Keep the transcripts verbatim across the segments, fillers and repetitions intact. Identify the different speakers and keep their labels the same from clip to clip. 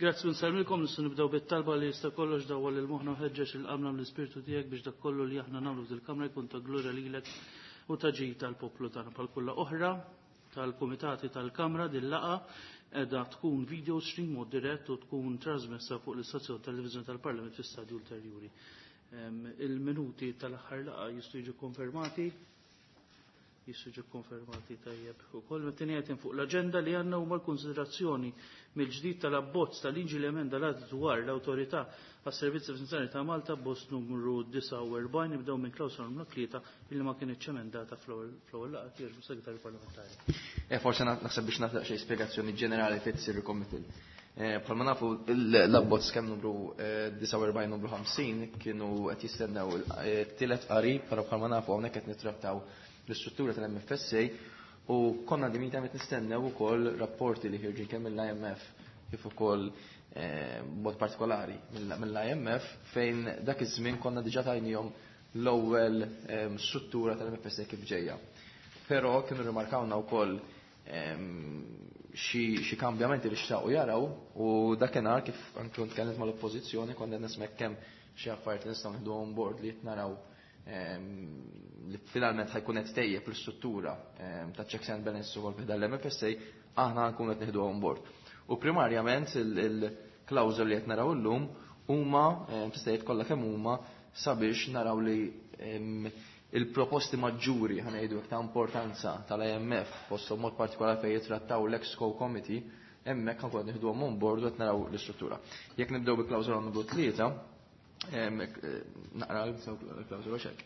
Speaker 1: Grazzi nsellmilkom, nistgħu nibdew bit-talba li jista' kollox dawwal lil moħħna ħeġġeġ il-qamna mill-Ispirtu tiegħek biex dak kollu li aħna nagħmlu fil-kamra jkun ta' glorja lilek u ta' ġid tal-poplu tagħna. Bħal kulla oħra tal-kumitati tal-Kamra din laqgħa qiegħda tkun video stream mod dirett u tkun trasmessa fuq l-istazzjon televiżjoni tal-Parlament fi stadju ulterjuri. Il-minuti tal-aħħar laqgħa jistgħu jiġu konfermati jistgħu jiġu konfermati tajjeb ukoll. Met-tieni item fuq l-aġenda li għandna huma l-konsiderazzjoni mill-ġdid tal-abbozz tal-liġi li emenda l-att dwar l-Awtorità għas-Servizzi Finanzjarji ta' Malta, abbozz numru disgħa u erbgħin. Nibdew minn klawsola numru tlieta illi ma kienitx emendata fl-ewwel laqgħa. Kieġbu Segretarju Parlamentari.
Speaker 2: Eh, forsi naħseb biex nagħti xi spjegazzjoni ġenerali fejn tsir il-committal. Bħalma nafu l-abbozz kemm numru disgħa u erbgħin numru ħamsin kienu qed jistennew it-tielet qari, però bħalma nafu hawnhekk qed nittrattaw l-istruttura tal-M F S A u konna dimita qed nistennew ukoll rapporti li ħirġin kemm mill-I M F kif ukoll b'mod partikolari mill-I M F fejn dak iż-żmien konna diġà tajnihom l-ewwel struttura tal-M F S A kif ġejja. Però kienu rimarkawna wkoll xi kambjamenti li xtaqu jaraw u dakinhar kif anke kont tkellimt mal-oppożizzjoni konna qed nismek kemm xi affarijiet li nistgħu nieħdu on board li qed naraw li finalment ħajkun qed tejjeb l-istruttura ta' checks and balances ukoll fi dan l-M F S A, aħna nkunu qed nieħdu on board. U primarjament il-klawżoli li qed naraw illum huma tista' tgħid kollha kemm huma sabiex naraw li il-proposti maġġuri ħanejdu hekk ta' importanza tal-I M F fosthom mod partikolari fejn jitrattaw l-Exco Committee, hemmhekk ħankun qed nieħduhom on board u qed naraw l-istruttura. Jekk nibdew bi klawżola numru tlieta, naqra l-klawżola xek.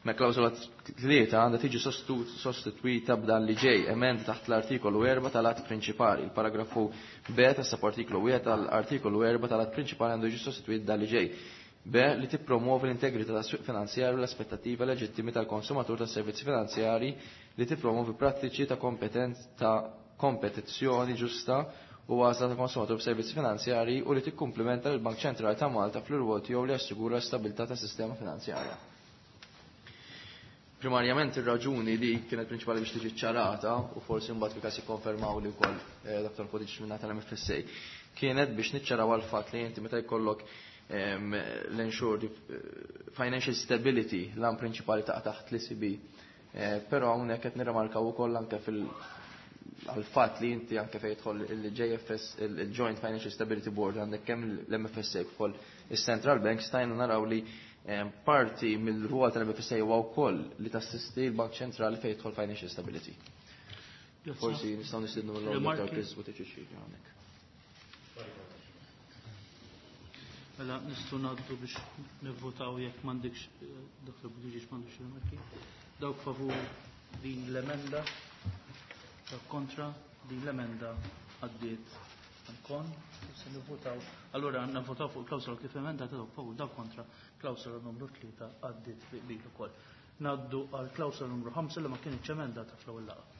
Speaker 2: Ma klawżola tlieta għandha tiġi sostitwita b'dan li ġej, emenda taħt l-artikolu erba' tal-att prinċipali. Il-paragrafu B tas artikolu wieħed tal-artikolu erba' tal-att prinċipali għandu jiġi sostitwit dan li ġej. B li tippromuovi l-integrità tas-swieq finanzjarju u l-aspettattiva leġittimi tal-konsumatur tas-servizzi finanzjari li tippromuovi prattiċi ta' kompetenza ta' kompetizzjoni ġusta u għażla ta' konsumatur b'servizzi finanzjari u li tikkumplimenta lill-Bank Ċentrali ta' Malta fl-irwol tiegħu li jassigura l-stabilità tas-sistema finanzjarja. Primarjament ir-raġuni li kienet prinċipali biex tiġi ċċarata u forsi mbagħad fi każ jikkonfermaw li wkoll Dottor Buttigieg minn tal-M F S A kienet biex niċċaraw għal fatt li inti meta jkollok l-ensure financial stability l-għan prinċipali ta' taħt l-E C B. Però hawnhekk qed nirrimarkaw ukoll anke fil għal fatt li inti anke fejn jidħol il-J F S, il-Joint Financial Stability Board għandek kemm l-M F S A kif ukoll is-Central Bank stajna naraw li parti mill-rwol tal-M F S A huwa wkoll li tassisti l-Bank Ċentrali fejn jidħol Financial Stability. Forsi nistgħu nistiednu mill-ewwel Dottor Chris Buttigieg hawnhekk.
Speaker 1: Mela nistgħu ngħaddu biex nivvotaw jekk m'għandekx Dottor Buttigieg m'għandux rimarki. Dawk favur din l-emenda, dawk kontra din l-emenda għaddiet kon, se nivvotaw. Allura nivvotaw fuq il-klawsola kif emendata, dawk favur, dawk kontra, klawsola numru tlieta għaddiet bi qbil ukoll. Ngħaddu għal klawsola numru ħamsa li ma kienitx emendata fl-ewwel laqgħa.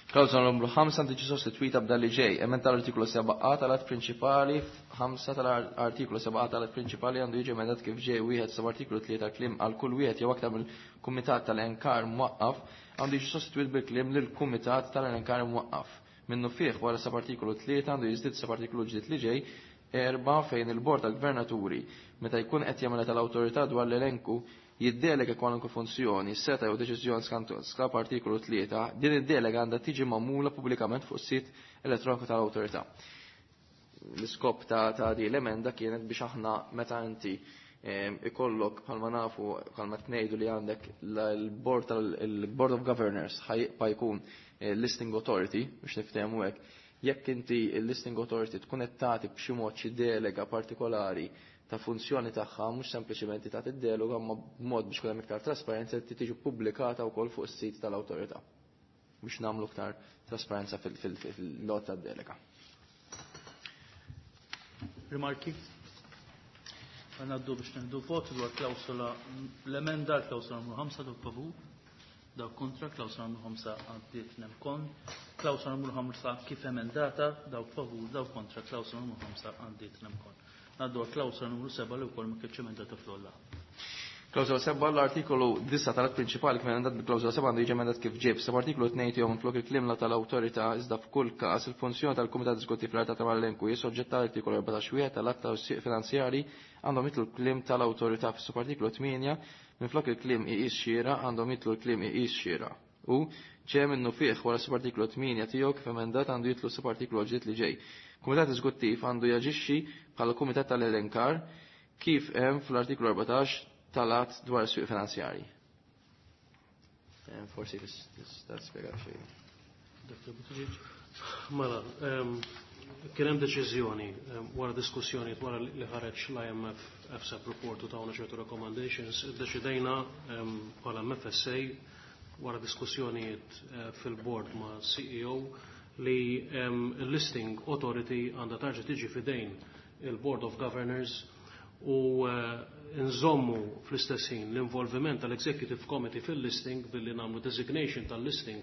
Speaker 2: Klawsola numru ħamsa tiġi sostitwita b'dan li ġej. Emenda tal-artikolu seba' A tal-att prinċipali, ħamsa tal-artikolu seba' A tal-att prinċipali għandu jiġi emendat kif ġej wieħed seba' artikolu tlieta kliem għal kull wieħed jew aktar mill-kumitat tal-enkar mwaqqaf għandu jiġi sostitwit bil-kliem lill-kumitat tal-enkar mwaqqaf. Minnu fih wara seba' artikolu tlieta għandu jiżdied seba' artikolu ġdid li ġej erba' fejn il-bord tal-gvernaturi meta jkun qed jagħmel tal-awtorità dwar l-elenku jiddelega kwalunkwe funzjoni, seta jew deċiżjoni skont skap artikolu tlieta, din id-delega għandha tiġi magħmula pubblikament fuq sit elettroniku tal-awtorità. L-iskop ta', ta' di l-emenda kienet biex aħna meta inti ikollok bħalma nafu bħalma tnejdu li għandek l-board tal-Board of Governors ħajbqa' jkun listing authority biex niftehmu hekk. Jekk inti il-listing authority tkun qed tagħti b'xi mod xi delega partikolari ta' funzjoni tagħha, mhux sempliċiment tagħti d-delega, imma b'mod biex ikun hemm iktar trasparenza li tiġi ppubblikata wkoll fuq is-sit tal-awtorità biex nagħmlu iktar trasparenza fil-lot tad-delega.
Speaker 1: Rimarki? Għanaddu biex neħdu vot dwar klawsola l-emenda klawsola numru ħamsa dawk favur, dawk kontra, klawsola numru ħamsa għaddiet nemkon, klawsola numru ħamsa kif emendata, dawk favur, dawk kontra, klawsola numru ħamsa għaddiet nemkon. Ngħaddu għal klawsola numru seba' li wkoll ma kienx emendata fl-ewwel laqgħa.
Speaker 2: Klawżola seba' l-artikolu disgħa tal-att prinċipali kif emendat bil-klawżola seba' għandu jiġi emendat kif ġej. F'sub-artikolu tnejn tiegħu minflok il-kliem la tal-awtorità iżda f'kull każ il-funzjoni tal-Kumitat Eżekuttiv fl-Arta tal-Elenku hi soġġetta għall-artikolu erbatax wieħed tal-att tas-swieq finanzjarji għandhom jidħlu l-kliem tal-awtorità. Fis-subartikolu tmienja minflok il-kliem iqis xieraq għandhom jidħlu l-kliem iqis xieraq. U ġej minnu fih wara subartikolu tmienja tiegħu kif emendat għandu jidħlu subartikolu ġdid li ġej. Kumitat Eżekuttiv għandu jaġixxi bħala kumitat tal-elenkar kif hemm fl-artikolu erbatax tal-att dwar is-swieq finanzjarji. Forsi tista' tispjega xi.
Speaker 1: Dottor Buttigieg.
Speaker 3: Mela, kien hemm deċiżjoni wara diskussjoni wara li ħareġ l-I M F F S A P report u tawna ċertu recommendations, iddeċidejna bħala M F S A wara diskussjonijiet fil-board ma' C E O li l-listing authority għandha tarġa' tiġi fidejn il-Board of Governors u nżommu fl-istess ħin l-involviment tal-Executive Committee fil-listing billi nagħmlu designation tal-listing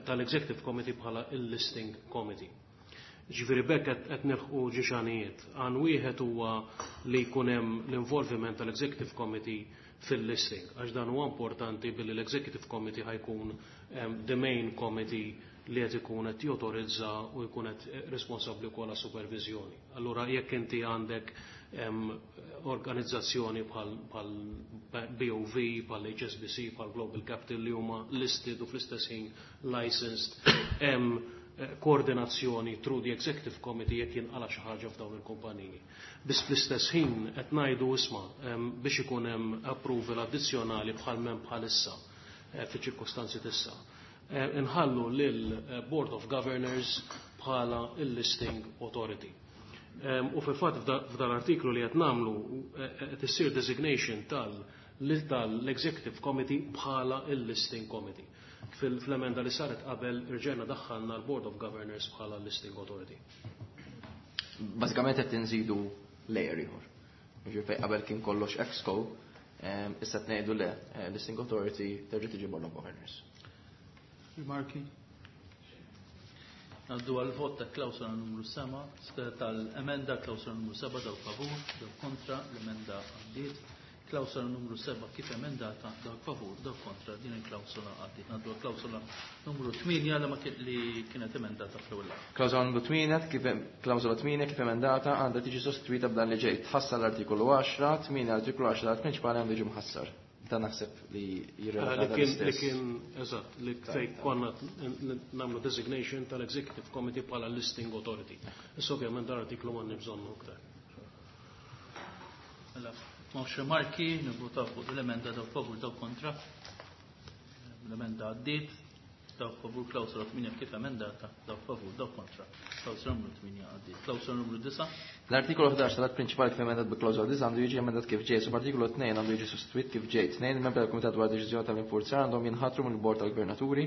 Speaker 3: tal-Executive Committee bħala il-Listing Committee. Ġifieri b'hekk qed nilħqu ġixanijiet. Għan wieħed huwa li jkun hemm l-involviment tal-Executive Committee fil-listing, għax dan huwa importanti billi l-Executive Committee ħa jkun the main committee li qed ikun qed jotorizza u jkun qed responsabbli wkoll għas-supervizjoni. Allura jekk inti għandek organizzazzjoni bħal B O V, bħal H S B C, bħal Global Capital li huma listed u fl-istess ħin licensed, hemm koordinazzjoni through the Executive Committee jekk jinqala xi ħaġa f'dawn il-kumpaniji. Biss fl-istess ħin qed ngħidu isma' biex ikun hemm approval addizzjonali bħal m'hemm bħalissa fiċ-ċirkostanzi t'issa. Inħallu lil Board of Governors bħala il-listing authority. U fil-fatt f'dal-artiklu li qed nagħmlu qed issir designation tal-Executive Committee bħala il-listing committee. Fil-emenda li saret qabel irġejna daħħalna l-Board of Governors bħala listing authority.
Speaker 2: Bażikament qed inżidu layer ieħor. Ġifieri qabel kien kollox ExCo, issa qed ngħidu le, listing authority terġa' tiġi Board of Governors.
Speaker 1: Rimarki? Għaddu għal-vot ta' klawsola numru seba', tal-emenda klawsola numru seba', dawk favur, dawk kontra, l-emenda għaddiet. Klawsola numru seba' kif emendata, dawk favur, dawk kontra, din il-klawsola għaddiet. Għaddu għal-klawsola numru tmienja li ma li kienet emendata fl-ewwel.
Speaker 2: Klawsola numru tmienja kif klawsola tmienja kif emendata għandha tiġi sostituita b'dan li ġej. Tħassar l-artikolu għaxra, tmienja l-artikolu għaxra tal-prinċipali għandu jiġi mħassar. Dan naħseb li jirrelata
Speaker 3: Li kien, li
Speaker 2: l-istess.
Speaker 3: kien, eżatt, li fej konna nagħmlu designation tal-Executive Committee bħala listing authority. Issa ovvjament dan artiklu ma bżonnu aktar.
Speaker 1: Mela, m'hawnx rimarki, nivvutaw fuq l-emenda, dawk favur, dawk kontra. L-emenda għaddiet, dawk favur klawsola tmienja kif emendata, dawk favur, dawk kontra. Klawsola numru tmienja għaddiet. Klawsola numru disgħa.
Speaker 2: L-artikolu ħdax tal-att prinċipali kif emendat bi klawsola disgħa għandu jiġi emendat kif ġej. Subartikolu tnejn għandu jiġi sostituit kif ġej. Tnejn il-membri tal-Kumitat dwar deċiżjoni tal-infurzar għandhom jinħatru mill-Bord tal-Gvernaturi.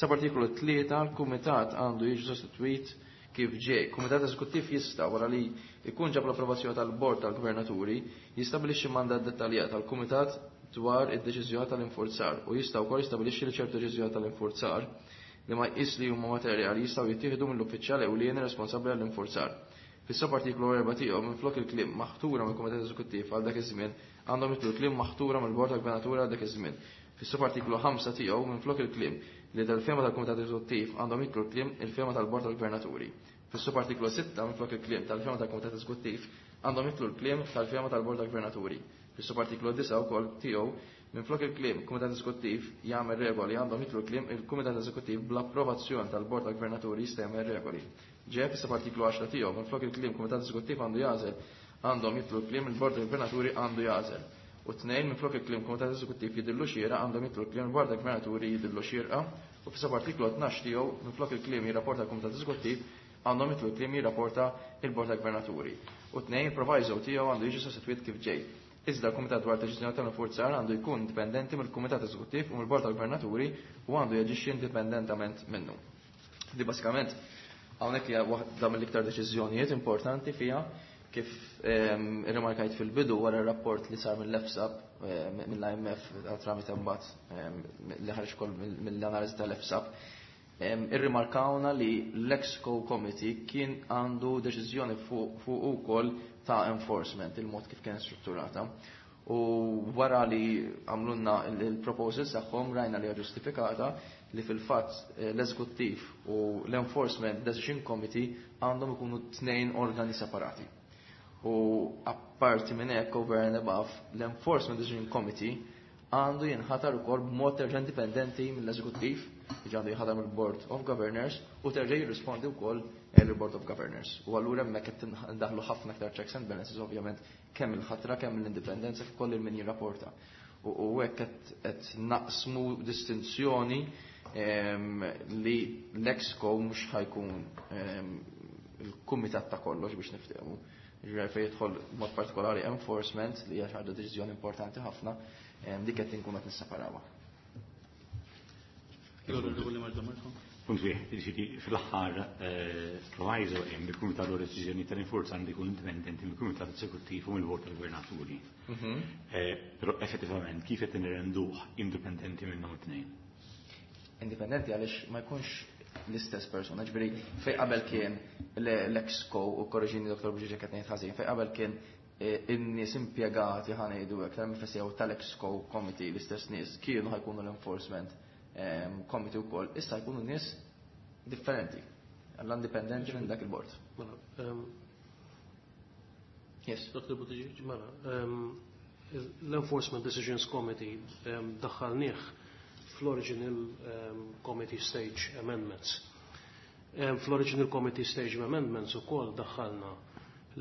Speaker 2: Subartikolu tlieta l-Kumitat għandu jiġi sostituit kif ġej. Kumitat Eżekuttiv jista' wara li jkun ġab l-approvazzjoni tal-Bord tal-Gvernaturi jistabilixxi mandat dettaljat tal-Kumitat dwar id-deċiżjoni tal-infurzar u jista' wkoll jistabilixxi li ċertu deċiżjoni tal-infurzar li ma jqis li huma materjali jistgħu jittieħdu mill-uffiċjal ewlieni responsabbli għall-infurzar. Fis-subartikolu erba' tiegħu minflok il-kliem maħtura mill-Kumitat Eżekuttiv għal dak iż-żmien għandhom jidħlu kliem maħtura mill-Bord tal-Gvernaturi għal dak iż-żmien. Fis-subartikolu ħamsa tiegħu minflok il-kliem li tal-fehma tal-Kumitat Eżekuttiv għandhom jidħlu kliem il-fehma tal-Bord tal-Gvernaturi. Fis-subartikolu sitta minflok il-kliem tal-fehma tal-Kumitat Eżekuttiv għandhom jidħlu l-kliem tal-fehma tal-Bord tal-Gvernaturi. Fis-subartikolu disgħa wkoll tiegħu minflok il-kliem Kumitat Eżekuttiv jagħmel regoli għandhom jidħlu kliem il-Kumitat Eżekuttiv bl-approvazzjoni tal-Bord tal-Gvernaturi jista' jagħmel regoli. Ġej fis-subartikolu għaxra tiegħu minflok il-kliem Kumitat Eżekuttiv għandu jagħżel għandhom jidħlu kliem il-Bord tal-Gvernaturi għandu jagħżel. U tnejn minflok il-kliem Kumitat Eżekuttiv jidhirlu xieraq għandhom jidħlu kliem il-Bord tal-Gvernaturi jidhirlu xierqa u fis-subartikolu tnax tiegħu minflok il-kliem jirrapporta l-Kumitat Eżekuttiv għandhom jidħlu kliem jirrapporta il-Bord tal-Gvernaturi. U tnejn il-proviso tiegħu għandu jiġi sostituit kif ġej. Iżda l-Kumitat dwar deċiżjoni tal-infurzar għandu jkun indipendenti mill-Kumitat Eżekuttiv u mill-Bord tal-Gvernaturi u għandu jaġixxi indipendentament minnu. Di basikament hawnhekk hija waħda mill-iktar deċiżjonijiet importanti fiha kif irrimarkajt fil-bidu wara r-rapport li sar mill-F S A P, mill-I M F tramite mbagħad li ħareġ ukoll mill-analiżi tal-F S A P, irrimarkawna li l-Exco Committee kien għandu deċiżjoni fuq ukoll ta' enforcement, il-mod kif kien strutturata. U wara li għamlulna il-proposals tagħhom, rajna li ġustifikata li fil-fatt eh, l-eżekuttiv u l-Enforcement Decision Committee għandhom ikunu tnejn organi separati. U apparti minn hekk, over and above, l-Enforcement Decision Committee għandu jinħatar ukoll b'mod terġa' indipendenti mill-eżekuttiv, jiġi għandu jinħatar mill-Board of Governors u terġa' jirrispondi wkoll il-Board of Governors. U allura hemmhekk qed ndaħlu ħafna aktar checks and balances, ovvjament, kemm il-ħatra, kemm l-indipendenza, kif ukoll il-min jirrapporta. U hekk qed naqsmu distinzjoni li l-Exco mhux ħa jkun il-kumitat ta' kollox, biex niftehmu. Ġifieri fejn jidħol mod partikolari enforcement, li hija xi ħaġa deċiżjoni importanti ħafna, dik qed inkun qed nisseparawha.
Speaker 4: Punt wieħed, jiġifieri fl-aħħar proviso hemm il-Kumitat dwar Deċiżjoni tal-Infurzar għandu jkun indipendenti mill-Kumitat Eżekuttiv u mill-Bord tal-Gvernaturi. Però effettivament kif qed nirrenduh indipendenti minnhom it-tnejn?
Speaker 2: Indipendenti għaliex ma jkunx l-istess persona, ġifieri fej qabel kien l-Exco, u korreġini Doktor Buġiġa qed ngħid ħażin, fej qabel kien in-nies impjegati, ħa ngħidu hekk, tal-M F S A u tal-Exco Committee, l-istess nies kienu ħa jkunu l-Enforcement Committee wkoll, issa jkunu nies differenti, għall-indipendenti minn dak il-board. Yes.
Speaker 3: Doktor Buttigieg, mela, l-Enforcement Decisions Committee daħħalnieh fl-original Committee Stage Amendments. Fl-original Committee Stage Amendments ukoll daħħalna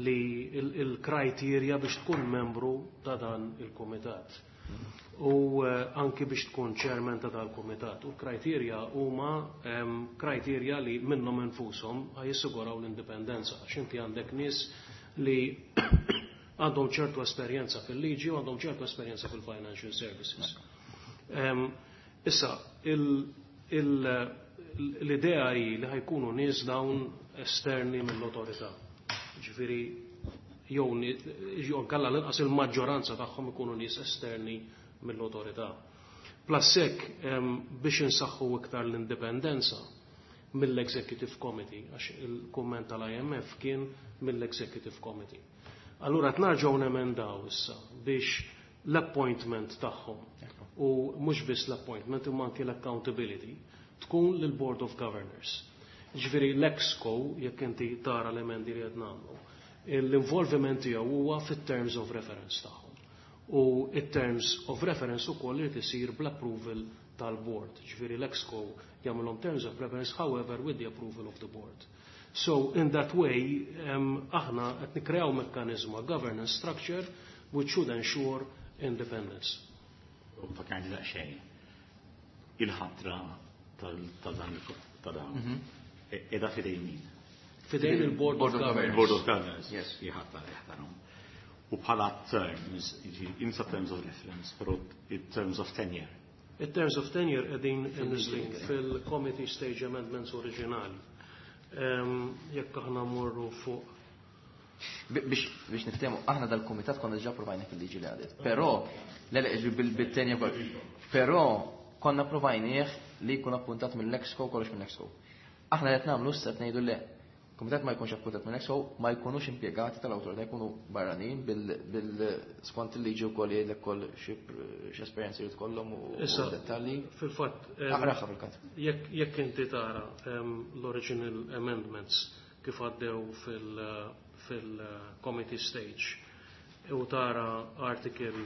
Speaker 3: li il-criteria biex tkun membru ta' dan il-komitat. U anki biex tkun chairman ta' dal-komitat. U criteria huma criteria li minnhom infushom jissiguraw l-indipendenza. Għax inti għandek nies li għandhom ċertu esperjenza fil-liġi u għandhom ċertu esperjenza fil-financial services. Issa, l-idea hi li ħa jkunu nies dawn esterni mill-autorità. Ġifieri, jew jew kalla l-inqas il-maġġoranza tagħhom ikunu nies esterni mill-autorità. Plus hekk, biex insaħħu iktar l-indipendenza mill-Executive Committee, għax il-kumment tal-I M F kien mill-Executive Committee. Allura qed nerġgħu nemendaw issa biex l-appointment tagħhom, u mhux biss l-appointment imma anki l-accountability, tkun lill-Board of Governors. Ġifieri l-Exco, jekk inti tara l-emendi li qed nagħmlu, l-involviment tiegħu huwa fit-terms of reference tagħhom. U it-terms of reference ukoll irid isir bl-approval tal-board. Ġifieri l-Exco jagħmilhom terms of reference, however, with the approval of the board. So in that way, um, aħna qed nikkreaw mekkaniżmu, governance structure which should ensure independence.
Speaker 4: U fakkarni daqsxejn. Il-ħatra tal-dan ta' dawn. Edha fidejn min?
Speaker 3: Fidejn il-Board of Governors.
Speaker 4: Il-Board of Governors.
Speaker 2: Yes.
Speaker 4: Jħattar, jaħtarhom. U bħala terms, insa terms of reference, però in terms of tenure.
Speaker 3: In terms of tenure qegħdin imniżżlin fil-Committee Stage Amendments oriġinali. Jekk aħna morru fuq
Speaker 2: Biex biex niftehmu, aħna dal-kumitat konna diġà provajna fil-liġi li għadiet. Però, le le bil-tenja kol. Però konna provajnieh li jkun appuntat mill-Exco, kollox mill-Exco. Aħna qed nagħmlu issa, qed ngħidu le. Kumitat ma jkunx appuntat mill-Exco, ma jkunux impjegati tal-awtorità, jkunu barranin bil skont il-liġi wkoll jgħidlek kol xi esperjenzi li tkollhom u dettalji.
Speaker 3: Fil-fatt,
Speaker 2: Aqraha fil-każ.
Speaker 3: Jekk inti tara l-original amendments kif għaddew fil- fil-committee stage u tara article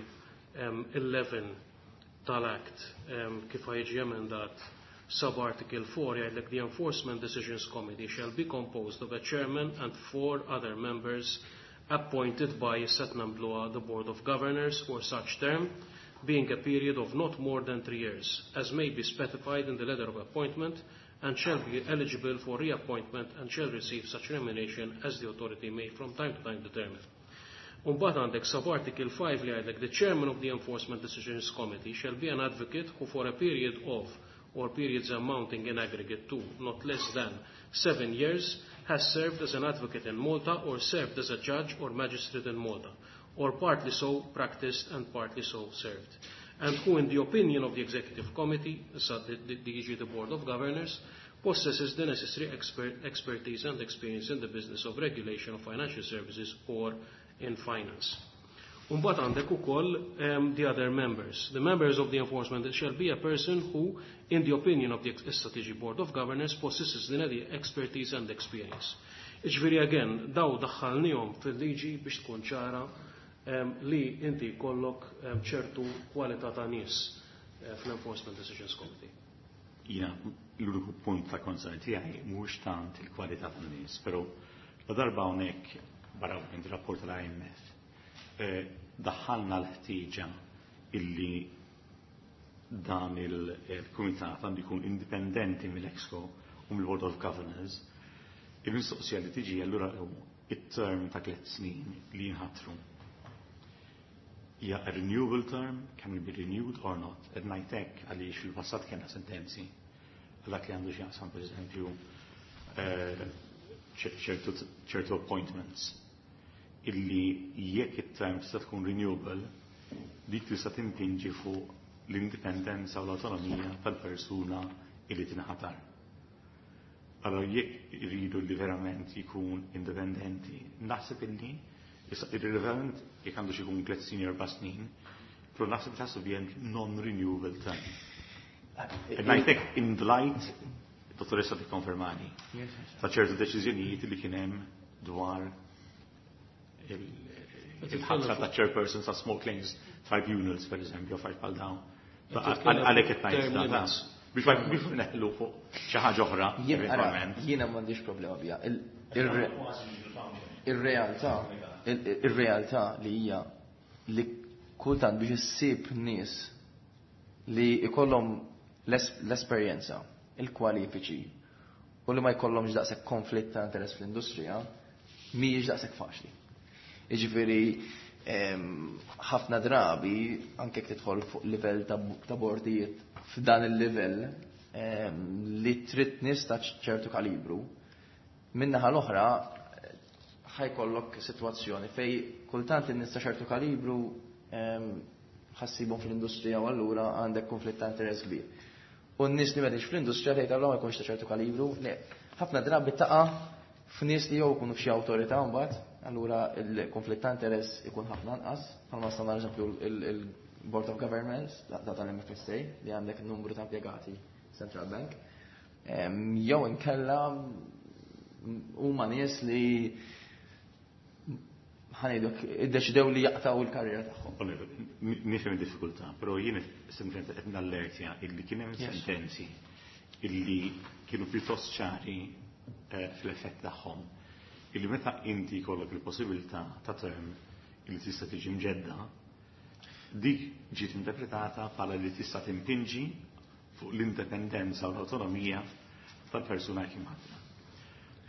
Speaker 3: eleven tal-Act kif ħa jiġi emendat, sub-article four jgħidlek: "The Enforcement Decisions Committee shall be composed of a chairman and four other members appointed by Setnambloa, the Board of Governors, for such term, being a period of not more than three years, as may be specified in the letter of appointment, and shall be eligible for reappointment and shall receive such remuneration as the authority may from time to time determine." Umbagħad għandek sub-article five li għandek: "The chairman of the Enforcement Decisions Committee shall be an advocate who for a period of or periods amounting in aggregate to not less than seven years has served as an advocate in Malta or served as a judge or magistrate in Malta, or partly so practiced and partly so served, and who in the opinion of the Executive Committee," so the, the, the, the Board of Governors, "possesses the necessary expert, expertise and experience in the business of regulation of financial services or in finance." Mbagħad għandek ukoll um, the other members. The members of the enforcement shall be a person who, in the opinion of the issa tiġi Board of Governors, possesses the needed expertise and experience. Iġifieri again, daw daħħalnihom fil-liġi biex tkun ċara um, li inti jkollok um, ċertu kwalità ta' nies uh, fl-Enforcement Decisions Committee.
Speaker 4: Jiena, l-uniku punt ta' concern tiegħi mhux tant il-kwalità tan-nies, però la darba hawnhekk barra minn rapport tal-I M F eh, daħħalna l-ħtieġa illi dan il-kumitat għandu jkun indipendenti mill-Exco u mill-Board of Governors. Il-mistoqsija li tiġi allura it-term ta' tliet snin li jinħatru. Hija a renewable term, can it be renewed or not? Qed ngħidlek għaliex fil-passat kellna sentenzi għal dak li għandu x'jaqsam, pereżempju, eh, ċertu ċertu appointments illi jekk it-term tista' tkun renewable, dik tista' timpinġi fuq l-indipendenza u l-autonomija tal-persuna illi tinħatar. Allora jekk iridu li verament jkun indipendenti, naħseb illi issa irrelevant jekk għandu xi jkun tliet snin, erba' snin, però naħseb it has to be a non-renewable term. And I think in the light, dottoressa tikkonfermani, ta' ċertu deċiżjonijiet li kien hemm dwar il-ħatra ta' chairpersons ta' small claims tribunals, per eżempju, affarijiet bħal dawn. Għalhekk qed ngħid da. Biex ma biex neħlu fuq xi ħaġa oħra,
Speaker 2: Jien ara,
Speaker 4: eventwalment.
Speaker 2: Jiena m'għandix problema biha. Il- il- Ir-realtà, il- ir-realtà li hija li kultant biex issib nies li ikollhom l-es- l-esperjenza, il-kwalifiċi u li ma jkollhomx daqshekk konflitt ta' interess fl-industrija, mhijiex daqshekk faċli. Jiġifieri em, ħafna drabi anke jekk tidħol fuq livell ta' ta' bordijiet f'dan il-livell em, li trid nies ta' ċertu kalibru, min-naħa l-oħra ħa jkollok sitwazzjoni fej kultant in-nies ta' ċertu kalibru em, ħa ssibhom fl-industrija u allura għandek konflitt ta' interess kbir. U n-nies li m'għadix fl-industrija tgħid allura ma jkunx ta' ċertu kalibru, le, ħafna drabi taqa' f'nies li jew ikunu f'xi awtorità mbagħad, allura il-konflitt ta' interess ikun ħafna anqas, bħalma nistgħu eżempju il-Board of Governors ta' tal-M F S A li għandek numru ta' impjegati Central Bank. Em, Jew inkella huma nies li ħa ngħiduk iddeċidew li jaqtaw il-karriera tagħhom.
Speaker 4: Nifhem id-diffikultà, però jien sempliċement qed nallertja illi kien hemm
Speaker 2: Yes.
Speaker 4: sentenzi illi kienu pjuttost ċari eh, fl-effett tagħhom. Illi meta inti jkollok il-possibilità ta' term illi tista' tiġi mġedda, dik ġiet interpretata bħala li tista' timpinġi fuq l-indipendenza u l-autonomija tal-persuna kif ħatra.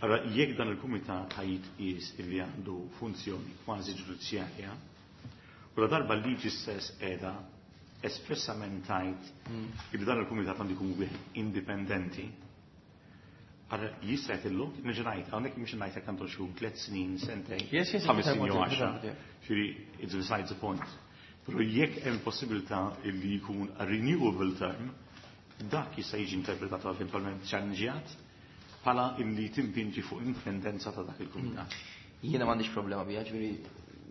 Speaker 4: Allora, jekk dan il-kumitat ħa jitqies illi għandu funzjoni kważi ġudizzjarja, u la darba l-liġi stess qiegħda espressament tgħid illi dan il-kumitat għandu jkun wieħed indipendenti, allora jista' jgħidillu, nerġa' ngħid, hawnhekk mhux ngħid jekk għandu xi tliet snin, sentejn,
Speaker 2: Yes, yes,
Speaker 4: ħames snin jew
Speaker 2: yes,
Speaker 4: għaxra.
Speaker 2: yes.
Speaker 4: Ġifieri, it's besides the point. Però jekk hemm possibilità illi jkun a renewable term, dak jista' jiġi interpretat eventwalment challengejat bħala illi timpinġi fuq indipendenza ta' dak il-kumitat.
Speaker 2: Jiena m'għandix problema biha, ġifieri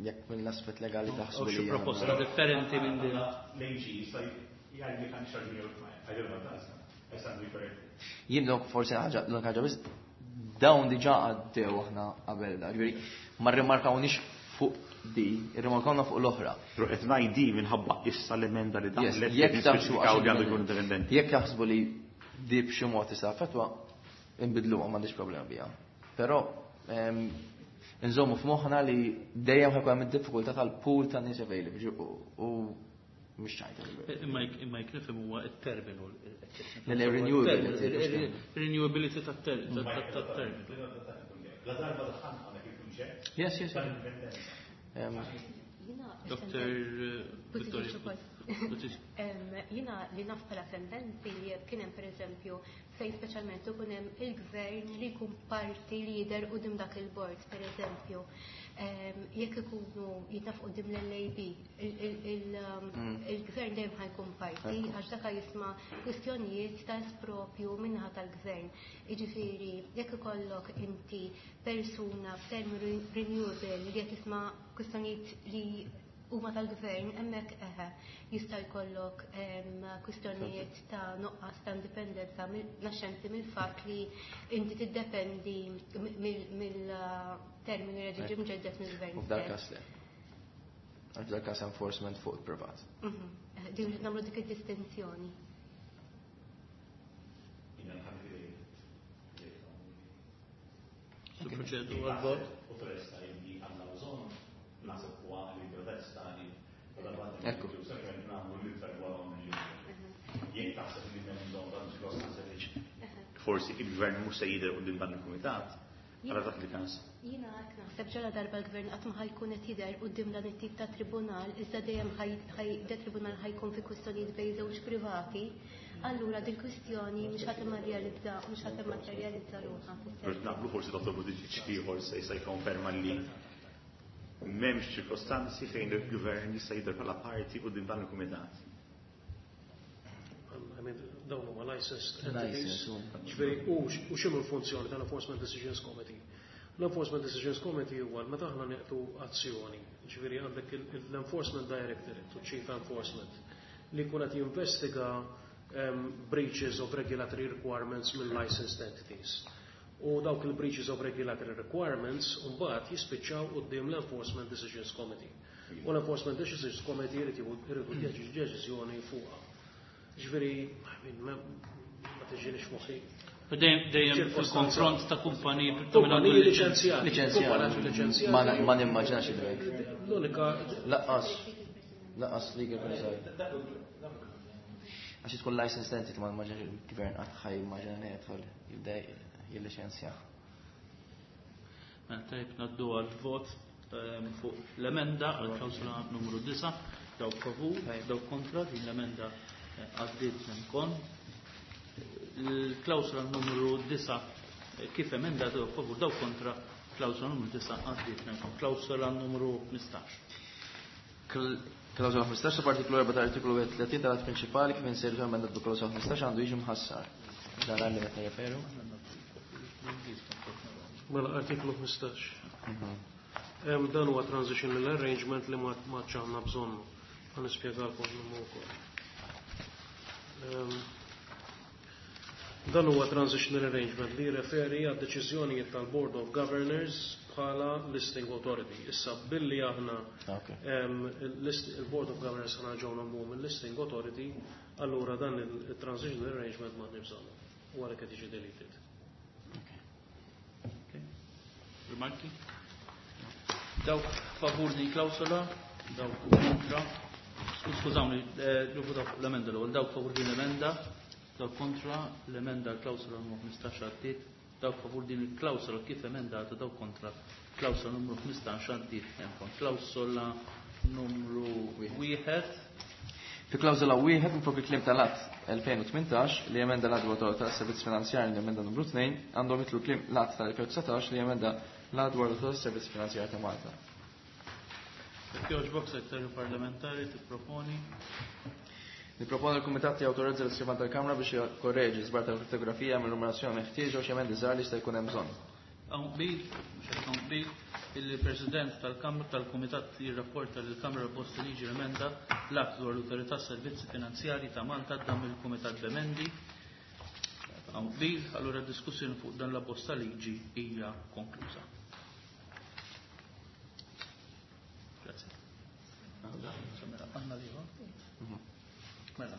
Speaker 2: jekk mill-aspett legali taħsbu
Speaker 1: U
Speaker 2: li
Speaker 1: xi
Speaker 2: hija-
Speaker 1: proposta differenti minn din.
Speaker 4: L-A G jista' jgħid li kan xarġi I don't know, that's that's not
Speaker 2: Jien dok forsi ħaġa l ħaġa biss, dawn diġà għaddew aħna qabel da, ġifieri ma rrimarkawniex fuq di, irrimarkawna fuq l-oħra.
Speaker 4: Però qed ngħid minħabba issa l-emenda li
Speaker 2: Yes,
Speaker 4: daħlet
Speaker 2: jekk taħsbu
Speaker 4: nispeċifikaw li għandu jkun indipendenti.
Speaker 2: Jekk jaħsbu li di b'xi mod tista' affettwa, inbidluha, m'għandix problema biha. Però em, nżommu f'moħħna li dejjem ħa jkun hemm id-diffikultà tal-pool ta' nies available u u mhux ċajta.
Speaker 1: Imma jek imma jekk nifhem huwa it-terminu.
Speaker 2: Le, le, renewability.
Speaker 1: Renewability tat-terminu.
Speaker 4: La darba daħħalna hawnhekk il-kunċett
Speaker 2: Yes, yes.
Speaker 4: tal-indipendenza.
Speaker 2: Em,
Speaker 5: Jina,
Speaker 1: Doktor Vittoria.
Speaker 5: Buttigieg. Em, Jina li naf bħala sentenzi li kien hemm, pereżempju, fejn speċjalment ikun hemm il-gvern li jkun parti leader quddiem dak il-board, pereżempju. Em, Jekk ikunu jitnaf quddiem l-L A B, il-gvern dejjem ħa jkun parti għax dak jisma' kwistjonijiet ta' espropju min-naħa tal-gvern. Jiġifieri, jekk ikollok inti persuna f'term renewable li qed tisma' kwistjonijiet li huma tal-gvern, hemmhekk eħe jista' jkollok kwistjonijiet ta' nuqqas ta' indipendenza naxxenti mill-fatt li inti tiddependi mill-terminu li ġie mġedded mill-gvern.
Speaker 2: U f'dal każ le. Għal f'dal każ enforcement fuq il-privat.
Speaker 5: Din nagħmlu dik id-distinzjoni.
Speaker 1: Proċedu għal-vot.
Speaker 2: Ekku.
Speaker 4: Forsi il-gvern mhux se jidher quddiem dan il-kumitat, għala dak li każ.
Speaker 5: Jiena hekk naħseb ġara darba l-gvern qatt ma ħajkun qed jidher quddiem dan it-tip ta' tribunal, iżda dejjem da tribunal ħajkun fi kwistjonijiet bejn żewġ privati, allura din kwistjoni mhux ħadd immaterjalizza, mhux ħadd immaterjalizza ruħha.
Speaker 4: Naqblu forsi Dottor Buttigieg ieħor se jista' jikkonferma li m'hemmx ċirkostanzi fejn il-gvern jista' jidher bħala parti quddiem dan il-kumitat.
Speaker 3: I mean, dawn huma licensed entities. Ġifieri u x'inhu l-funzjoni tal-Enforcement Decisions Committee? L-Enforcement Decisions Committee huwa meta aħna nieqtu azzjoni, ġifieri għandek l-Enforcement Directorate u Chief Enforcement li jkun qed jinvestiga breaches of regulatory requirements mill licensed entities. U dawk il-breaches of regulatory requirements mbagħad jispiċċaw quddiem l-Enforcement Decisions Committee. U l-Enforcement Decisions Committee jrid jridu deċiżjoni fuqha. Ġifieri, ma tiġinix moħħi.
Speaker 1: Dejjem fil-konfront ta' kumpaniji
Speaker 3: kumpaniji liċenzjati.
Speaker 2: Liċenzjati. Ma nimmaġinax id-drek.
Speaker 3: L-unika
Speaker 2: laqqas laqqas legal preżajt. Għax tkun licensed entity ma nimmaġinax il-gvern qatt ħaj immaġina li jidħol jibda jilliċenzja.
Speaker 1: Mela tajb ngħaddu għall-vot fuq l-emenda għal klawsula numru disa', dawk favur, dawk kontra, din l-emenda għaddiet minn Il-klawsula numru disa' kif emenda dawk favur, dawk kontra, klawsula numru disa' għaddiet minn Klawsula numru ħmistax.
Speaker 2: Klawsula ħmistax ta' artiklu erba' ta' artiklu tletin tal-att prinċipali kif insejru emendat bi klawsula ħmistax għandu jiġi mħassar. Dan għalli meta referu.
Speaker 3: Mela artiklu ħmistax. Dan huwa transitional arrangement li ma ċanna bżonnu. Ħa nispjegalkom minnu wkoll. Dan huwa transitional arrangement li referi għad deċiżjonijiet tal-Board of Governors bħala listing authority. Issa billi aħna il-Board of Governors ħana ġew nagħmlu mill-listing authority, allura dan il-transitional arrangement ma nibżonnu. U għalhekk qed jiġi deleted.
Speaker 1: Rimarki? Dawk favur din klawsola, dawk kontra. Skużawni, nivvutaw fuq l-emenda l-ewwel, dawk favur din l-emenda, dawk kontra l-emenda l-klawsola numru ħmistax għaddiet, dawk favur din il-klawsola kif emendata, dawk kontra klawsola numru ħmistax għaddiet. Klawsola numru wieħed.
Speaker 2: Fi klawsola wieħed minflok il-kliem tal-att elfejn u tmintax li emenda l-att dwar l-Awtorità tas-Servizz Finanzjarji li emenda numru tnejn għandhom jitlu kliem l-att tal-elfejn u dsatax li emenda l-att dwar l-Awtorità tas-Servizz Finanzjarji ta' Malta.
Speaker 1: Jekk jogħġbok Segretarju Parlamentari tipproponi.
Speaker 2: Nipproponi l-Kumitat jawtorizza l-iskrivan tal-Kamra biex jkorreġi żbar tal-fotografija mill-numerazzjoni meħtieġa u xi emendi żgħar li jista' jkun hemm bżonn.
Speaker 1: Hawn qbil, mhux qed hawn qbil, il-President tal-Kamra tal-Kumitat jirrapporta lill Kamra Bosta Liġi l-emenda l-att dwar l-Awtorità Servizzi Finanzjarji ta' Malta dam il-Kumitat b'emendi. Hawn qbil, allura d-diskussjoni fuq dan l-abbozz ta' liġi hija konkluża. Grazie. Mela.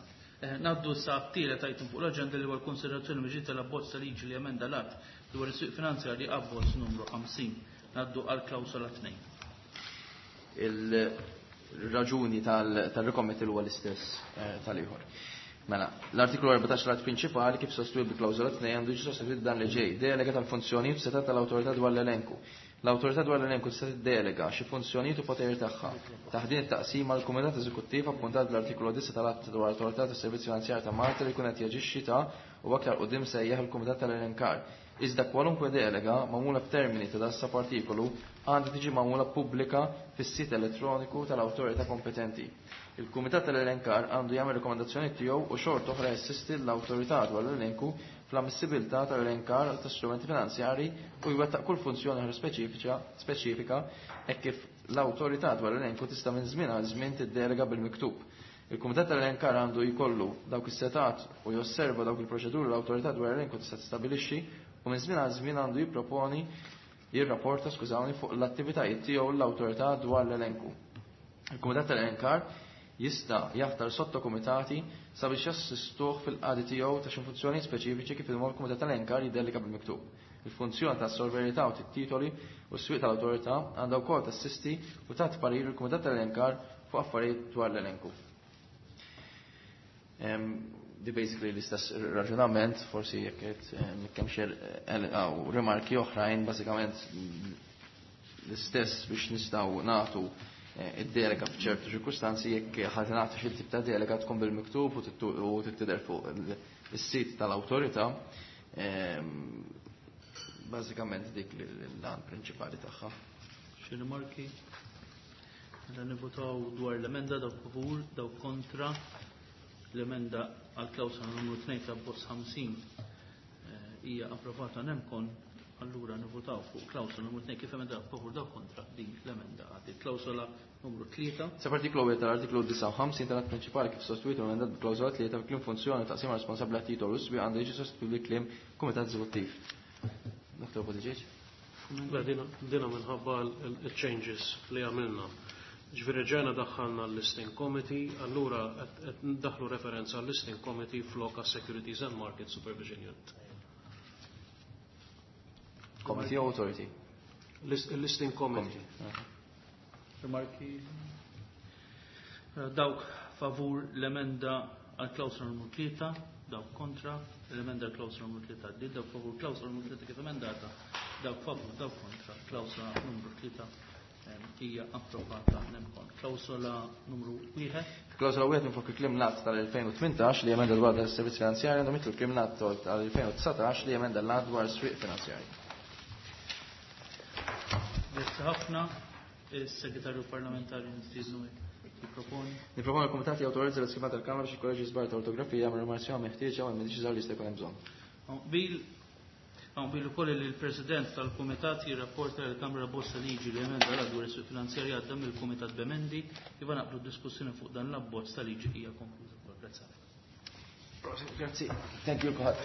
Speaker 1: Naddu sa t-tielet item fuq l-aġenda li huwa l-konsiderazzjoni miġiet tal-abbozz ta' liġi li emenda l-att dwar is-suq finanzjarji abbozz numru ħamsin. Naddu għal klawsola tnejn.
Speaker 2: Il-raġuni tal-rikommet huwa l-istess tal-ieħor. Mela, l-artiklu erbatax l-att prinċipali kif sostwit bi klawsola tnejn għandu jiġi sostwit dan li ġej. Delega tal-funzjonijiet u setat tal-awtorità dwar l-elenku. L-awtorità dwar l-elenku tista' tiddelega xi funzjonijiet u poteri tagħha. Taħt din it-taqsima l-Kumitat Eżekuttiv appuntat bl-artiklu disa tal-Att dwar l-Awtorità tas-Servizzi Finanzjarji ta' Malta li jkun qed jaġixxi ta' u aktar quddiem sejjaħ il-Kumitat tal-Elenkar. Iżda kwalunkwe delega magħmula f'termini ta' dassa partikolu għandha tiġi magħmula pubblika fis-sit elettroniku tal-awtorità kompetenti. Il-Kumitat tal-Elenkar għandu jagħmel rekomendazzjoni tiegħu u xorta oħra jassisti l-awtorità dwar l-elenku fl-ammissibilità tal-elenkar ta' strumenti finanzjari u jwettaq kull funzjoni oħra speċifika speċifika hekk kif l-awtorità dwar l-elenku tista' minn żmien għal żmien tiddelega bil-miktub. Il-Kumitat tal-Elenkar għandu jkollu dawk is-setat u josserva dawk il-proċeduri l-awtorità dwar l-elenku tista' tistabbilixxi u minn żmien għal żmien għandu jipproponi jirrapporta skużawni fuq l-attivitajiet tiegħu l-awtorità dwar l-elenku. Il-Kumitat tal-Elenkar jista' jaħtar sottokumitati sabiex jassistuh fil-qadi tiegħu ta' xi funzjoni speċifiċi kif il-mod Kumitat tal-Elenkar jiddelika bil-miktub. Il-funzjoni ta' sorverità u titoli u s-swieq tal-awtorità għandha wkoll tassisti u tagħti parir il-Kumitat tal-Elenkar fuq affarijiet dwar l-elenku. Di basically l-istess raġunament, forsi jekk qed kemm xi rimarki oħrajn, bażikament l-istess biex nistgħu nagħtu id-delega f'ċertu ċirkustanzi jekk ħadd nagħti xi tip ta' delega tkun bil-miktub u tittider fuq is-sit tal-awtorità. Bażikament dik l-għan prinċipali tagħha.
Speaker 1: Xi rimarki? Mela nivvotaw dwar l-emenda, dawk favur, dawk kontra. L-emenda għal klawsola numru tnejn ta' abbozz ħamsin hija approvata nemkon, allura nivvotaw fuq klawsola numru tnejn kif emenda favur, dawk kontra, din l-emenda għaddiet. Klawsola numru tlieta.
Speaker 2: Sa artiklu wieħed tal-artiklu disgħa u ħamsin tal-att prinċipali kif sostitwit u emendat b'klawsola tlieta fi kliem funzjoni taqsima responsabbli għat-titolu s-swieq għandu jiġi sostitwit bi kliem Kumitat Eżekuttiv. Dottor Buttigieg?
Speaker 3: Le, dina, dina minħabba il-changes li għamilna. Ġifieri ġejna daħħalna l-listing committee, allura qed ndaħlu referenza għall-listing committee flok għas Securities and Market Supervision Unit.
Speaker 2: Committee or authority?
Speaker 3: List, listing committee.
Speaker 2: Committee.
Speaker 1: Rimarki? Dawk favur l-emenda għal klawsola numru tlieta, dawk kontra, l-emenda għal klawsola numru tlieta għaddiet, dawk favur klawsola numru tlieta kif emendata, dawk favur, dawk kontra, klawsola numru tlieta hija approvata nemkon. Klawsola numru wieħed.
Speaker 2: Klawsola wieħed minn fuq il-kliem l-att tal-elfejn u tmintax li emenda dwar tas-servizz finanzjarji għandhom jitlu kliem l-att tal-elfejn u dsatax li emenda l-att dwar is-swieq finanzjarji.
Speaker 1: Grazzi ħafna. Is-Segretarju Parlamentari nistiednu jipproponi.
Speaker 2: Nipproponi l-Kumitat jawtorizza l-iskema tal-Kamra biex ikkoreġi żbar ta' ortografija minn rimarzjoni meħtieġa u l-mediċi żgħar li jista' jkun hemm bżonn.
Speaker 1: Bil Hawn bil ukoll li l-President tal-Kumitat jirrapporta lill Kamra Bosta Liġi li emenda l dwar is-suq finanzjarja għadda mill-Kumitat b'emendi, iva naqblu d-diskussjoni fuq dan l-abbozz ta' liġi hija konkluża wkoll. Grazzi.
Speaker 2: Grazzi. Thank you kulħadd.